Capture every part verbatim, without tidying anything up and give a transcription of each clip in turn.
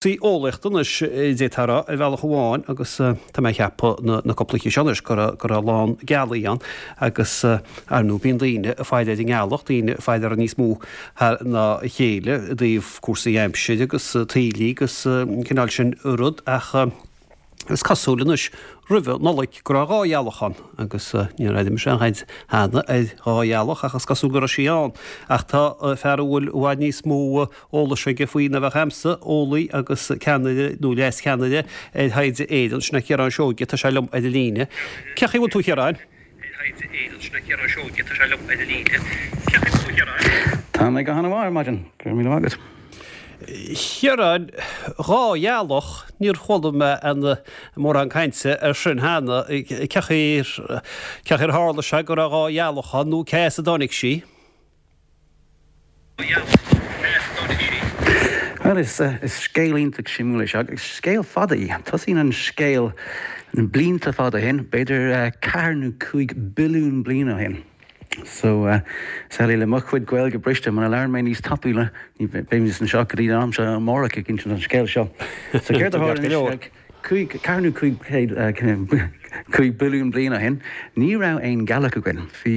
Cúrsaí eolaíochta anois, d'fhéadfá a rá, ar bhealach amháin, agus tá mé ag ceapadh na cúpla oíche seo anois go raibh go raibh a lán gealaí ann agus ar ndóigh bíonn daoine ag faire ar an ngealach, daoine ag faire uirthi níos mó ná a chéile i dtaobh cúrsaí aimsire agus taoillí agus an cineál sin rud ach is cosúil anois roimhe Nollaig go raibh dhá ghealach ann agus níor airigh mise aon chaint cheana ar dhá ghealach ach is cosúil go raibh sí ann ach tá fear a bhfuil i bhfad níos mó eolais aige faoi ná bheadh a'msa, eolaí agus ceannaire nó leas-cheannaire ar Thaighde Éireann, sin é Ciarán Seoige, tá sé liom ar an líne. Cén chaoi a bhfuil tú a Chiaráin? ar Thaighde Éireann, sin é Ciarán Seoige, tá sé liom ar an líne. Cén chaoi a bhfuil tú a Chiaráin? Tá mé go han-mhaith ar maidin, go raibh míle maith agat. Chiaráin, dhá ghealach, níor chuala mé aon mórán cainte ar sin cheana, cén chaoi ar, cén chaoi ar tharla sé go raibh dhá ghealach ann nó cé as a dtáinig sí? Bhuel, is scéal iontach suimiúil é seo, agus scéal fada í. Tosaíonn an scéal blianta fada ó shin, b'fhéidir ceathair nó cúig billiún bliain ó shin. So, samhlaigh le mo chuid Gaeilge briste, muna labhrann mé níos tapúla, ní bheimid anseo go dtí an am seo amárach ag insint an scéil seo. So, céard a tharla anois? Cúig, ceathair nó cúig chéad, cúig billiún bliain ó shin, ní raibh aon ghealach againn. Bhí,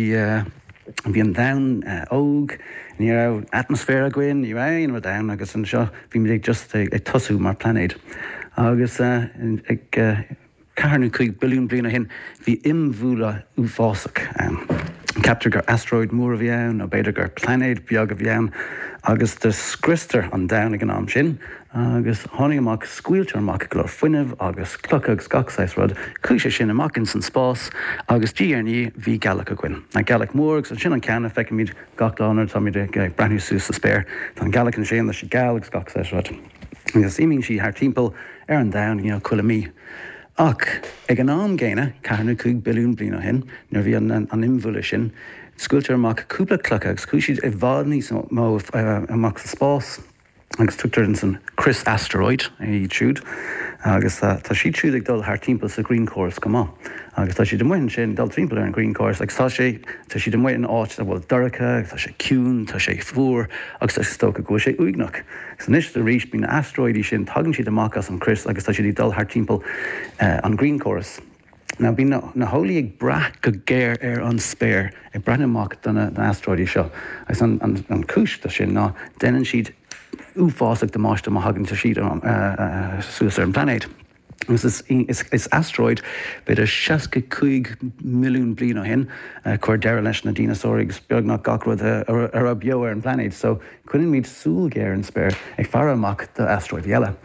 bhí an domhan óg, ní raibh atmaisféar againn, ní raibh aon rud ann agus anseo bhí muid ag just ag tosú mar plainéad. Agus ag ceathair nó cúig billiún bliain ó shin, bhí imbhualadh uafásach ann. Ceaptar gur asteroid mór a bhí ann, nó b'fhéidir gur plainéad beag a bhí ann, agus do scriostar an domhan ag an am sin, agus tháinig amach, scaoiltear amach go leor fuinnimh agus clocha agus gach saghas rud, chuaigh sé sin amach ins an spás, agus diaidh ar ndiaidh bhí gealach againn. An gealach mór, agus ansin an ceann a feicimid gach lá nuair atáimid ag breathnú suas sa spéir. Tá an gealach ansin, tá sí geal agus gach saghas rud. Agus imíonn sí thar timpeall ar an domhan, you know, chuile mí. Ach ag an am gcéanna, ceathair nó cúig billiún bliain ó shin, nuair a bhí an imbhualadh sin, scaoiltear amach cúpla clocha agus chuaigh siad i bhfad níos mó amach sa spás agus tugtar ansan crios asteroid iad siúd agus tá siad siúd ag dul thar timpeall sa ghrianchóras chomh maith agus tá siad amuigh ansin ag dul timpeall ar an ghrianchóras agus tá sé tá siad amuigh in áit a bhfuil dorcha, tá sé ciúin, tá sé fuar agus is dócha go bhfuil sé uaigneach. Agus anois arís, bíonn na asteroidí sin, tagann siad amach as an chrios agus tá siad ag dul thar timpeall an ghrianchóras. Now bíonn na heolaí ag brath go géar ar an spéir, ag breathnú amach do na asteroidí seo. Agus an chúis do sin ná déanann siad uafásach damáiste má thagann siad suas ar an bplainéad. Agus is is asteroid, b'fhéidir seasca cúig milliún bliain ó shin, a chuir deireadh leis na dineasúir agus beagnach gach rud a raibh beo ar an bplainéad. So, coinnímid súil ghéar ar an spéir ag faire amach do asteroidí eile.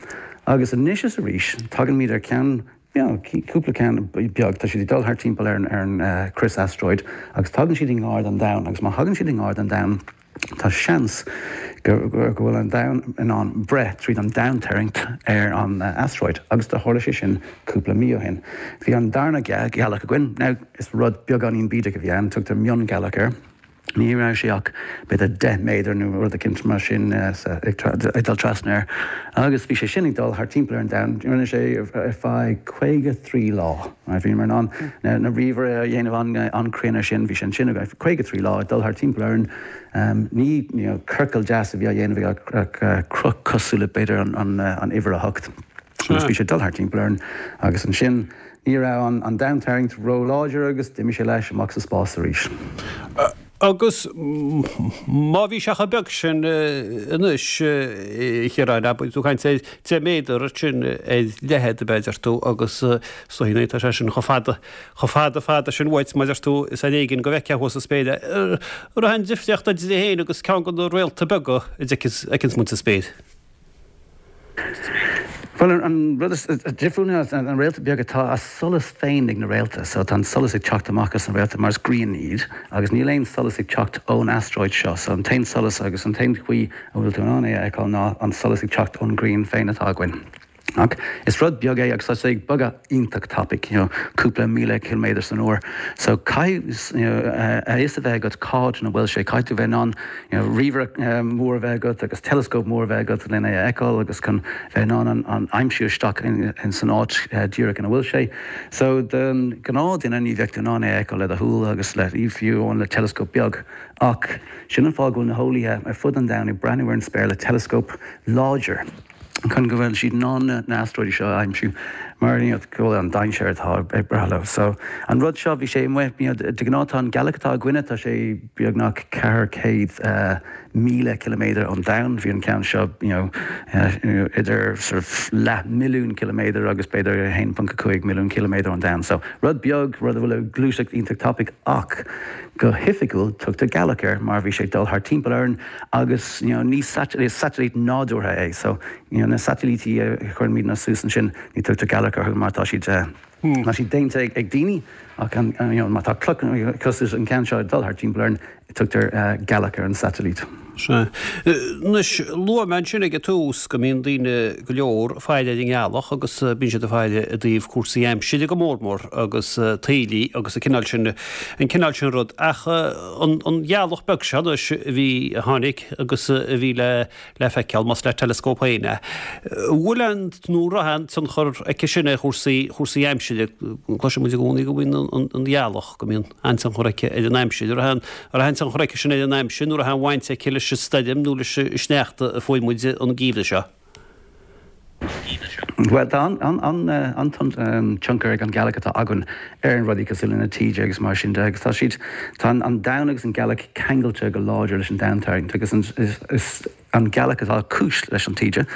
Agus anois is arís, tagaimid ar ceann, you know, cúpla ceann beag, tá siad ag dul thart timpeall ar an ar an crios asteroid agus tagann siad i ngar don domhan agus má thagann siad i ngar don domhan, Tá seans go bhfuil an Domhan in ann breith tríd an domhantarraingt ar an asteroid agus do tharla sé sin cúpla mí ó shin. Bhí an darna gealach againn. Now, is rud beagáinín bídeach a bhí ann, tugtar mionghealach air. Ní raibh sé ach b'fhéidir deich méadar nó rud eicínt mar sin ag dul trasna air agus bhí sé sin ag dul thart timpeall ar an Domhan. Rinne sé ar feadh caoga trí lá. Bhíomar in ann na ríomhaire a dhéanamh an-chruinn ar sin. Bhí sé ansin againn caoga trí lá ag dul thart timpeall orainn. Ní ciorcal deas a bhí á dhéanamh aige ach cruth cosúil le b'fhéidir an uimhir a hocht. Agus bhí sé ag dul thart timpeall orainn agus ansin ní raibh an domhantarraingt ró-láidir agus d'imigh sé leis amach sa spás arís. Agus má bhí sé chomh beag sin anois, a Chiaráin, abair, tú ag caint ar deich méadar sin ar leithead, a deir tú, agus is dóigh tá sé sin chomh fada, chomh fada fada sin uait, mar a deir tú, is ar éigin go bhfeicfeá thuas sa spéir é. An raibh aon difríocht idir é féin agus ceann de na réalta beaga a d'fheiceanns muid sa spéir? Bhuel, an rud is difriúil ná na réalta beaga, tá a solas féin ag na réalta, so tá an solas ag teacht amach as an réalta mar is grian iad agus níl aon solas ag teacht ón asteroid seo, so an t-aon solas agus an t-aon chaoi a bhfuil tú in ann é a fheiceáil ná an solas ag teacht ón ghrian féin atá againn. Ach is rud beag é agus tá sé ag bogadh iontach tapaidh, you know, cúpla míle ciliméadar san uair. So caithfidh, you know, a fhios a bheith agat cá háit ina bhfuil sé, caithfidh tú bheith in ann, you know, ríomhaire mór a bheith agat agus teileascóp mór a bheith agat lena é a fheiceáil agus chun bheith in ann an aimsiú isteach in san áit díreach ina bhfuil sé. So don ghnáthduine ní bheadh tú in ann é a fheiceáil le do shúil agus le fiú amháin le teileascóp beag. Ach sin an fáth go bhfuil na heolaithe ar fud an domhain ag breathnú ar an spéir le teileascóp láidir. chun go bhfuil siad in ann na asteroidí seo a aimsiú mar you know, go bhfuil an dainséar atá ag brath leo. So an rud seo bhí sé amuigh you know, de ghnáth tá an gealach atá againne tá sé beagnach ceathair céad uh, míle kiloméadar ón domhan bhí an ceann seo you know, uh, idir sort of leath milliún kiloméadar agus b'fhéidir a haon ponc a cúig milliún kiloméadar ón domhan. So rud beag rud a bhfuil ag gluaiseacht iontach tapaidh ach go hoifigiúil tugtar gealach air mar bhí sé dul thar timpeall orainn agus you know, ní satailít nádúrtha é so you know, na satailítí a chuirimid suas ansin ní tugtar gealach orthu mar tá siad uh, hmm. Tá siad déanta ag, ag daoine ach an, you know, má tá cloch cosúil an ceann seo dul thar timpeall orainn tugtar uh, gealach ar an satailít. Anois luaigh mé ansin ag an tús go mbíonn daoine go leor ag faire ar an ngealach agus bíonn siad ag faire i dtaobh cúrsaí aimsire go mór mór agus taoillí agus an cineál sin an cineál sin rud ach an an ghealach beag seo anois a bhí a tháinig agus a bhí le le feiceáil más le teileascóp féin é. Bhfuil an nó raibh aon tionchar aici sin ar chúrsaí chúrsaí aimsire cloiseann muid i gcónaí go mbíonn an an ghealach go mbíonn an-tionchar aici ar an aimsir raibh aon raibh aon tionchar aici sin ar an aimsir nó raibh aon bhaint aici leis an stoirm nó leis an sneachta a fuair muid an geimhreadh seo. Well tá an an an an tionchar ag an gealach atá againn ar an rudaí cosúil le na taoide agus mar sin de agus tá siad tá an domhan agus an gealach ceangailte go láidir leis an domhantarraingt agus an, is, is an gealach atá cúis leis an taoide.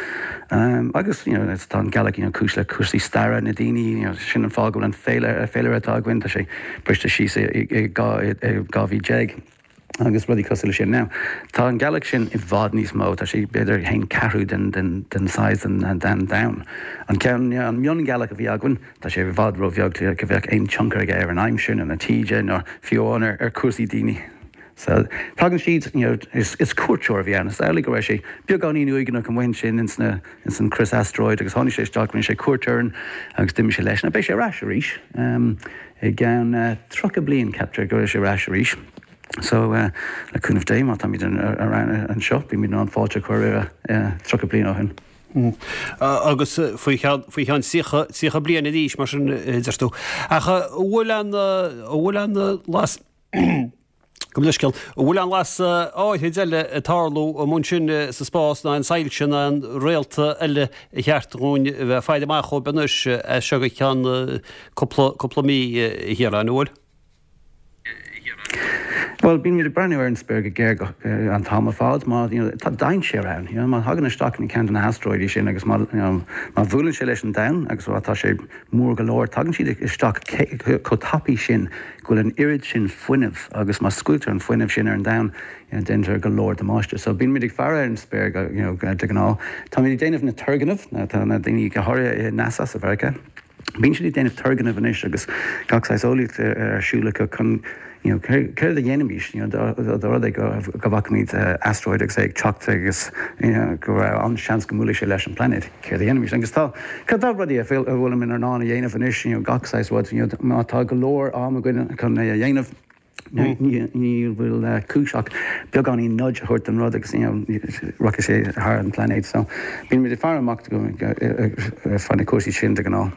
Um, agus you know, tá an gealach you know, cúis le cúrsaí staire na daoine you know, sin an fáth go bhfuil an féile féilire atá againn tá sé briste síos i dhá mhí déag. agus rudaí cosúil sin now. Tá an gealach sin i bhfad níos mó, tá sé b'fhéidir haon ceathrú den den den size den den domhan. An ceann an miongealach a bhí againn, tá sé i bhfad róbheag go bheadh aon tionchar aige ar an aimsir nó na taoide nó fiú amháin ar ar cúrsaí daoine. So tagann siad you know, is, is cuairteoir a bhí ann. Is amhlaidh go raibh sé beagáinín uaigneach amuigh ansin ins na ins an crios asteroid agus tháinig sé isteach rinne sé cuairt orainn agus d'imigh sé leis. Now beidh sé ar ais arís um, i gceann uh, tríocha bliain ceaptar go bhfuil sé ar ais arís. So uh, le cúnamh Dé má táimid anseo, bímid in ann fáilte a chur roimhe uh, tríocha bliain ó shin. Mm. Agus faoi cheann tríocha bliain arís mar sin deir tú. Ach bhfuil an bhfuil an las Gabh mo leithscéal, bhfuil aon lasadh áithrid eile ag tarlú amuigh ansin sa spás ná aon soilse ná aon réalta eile ar cheart dhúinn a bheith ag faire amach dhóibh anois as seo go ceann cúpla cúpla mí a Chiaráin, an bhfuil? Bhuel, bímid ag breathnú ar an spéir go géar an t-am ar fad má you know, tá dainséar ann. You know, má thagann isteach in ceann de na hasteroidí sin agus má, you know, má bhuaileann sé leis an domhan agus má tá sé mór go leor, tagann siad isteach chomh tapaidh sin go bhfuil an oiread sin fuinnimh agus má scaoiltear an fuinneamh sin ar an domhan, you know, déantar go leor damáiste. So bímid ag faire ar an spéir go, you know, de ghnáth. Táimid ag déanamh na turgnaimh, tá na daoine go háirithe i NASA sa Mheiriceá. Bíonn siad ag déanamh turgnaimh anois agus gach saghas eolaíocht ar siúl acu chun you know, céard a dhéanfaimis you know, dá rud é go go bhfeicfimid uh, asteroid agus é ag teacht agus you know, go raibh an seans go mbuailfeadh sé leis an planet céard a dhéanfaimis agus tá tá rudaí a bhfuil in ann a dhéanamh anois you know, gach saghas rud you know, má tá go leor am againn chun é a dhéanamh ní ní bhfuil uh, cúis ach beagáinín nudge a thabhairt don rud agus you know, rachaidh sé thar an planet so bímid ag faire amach fá na cúrsaí sin de ghnáth.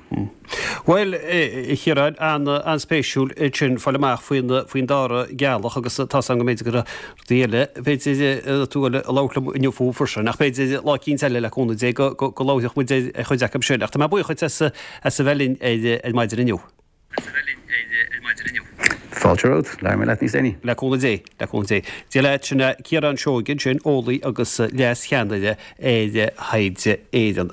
Bhuel a Chiaráin an-spéisiúil sin fáil amach faoin faoin dara gealach agus tá an go mb'fhéidir go rudaí eile b'fhéidir tú a labhairt liom inniu fúthu freisin ach b'fhéidir lá eicínt eile le cúnamh Dé go go labharfadh muid ar chuid acu sin ach tá mé buíoch duit as as a bheith linn ar ar maidin inniu. Fáilte romhat, labhróidh mé leat níos déanaí. Le cúnamh Dé, le cúnamh Dé. Dia leat sin Ciarán Seoige sin eolaí agus leas-cheannaire ar Thaighde Éireann.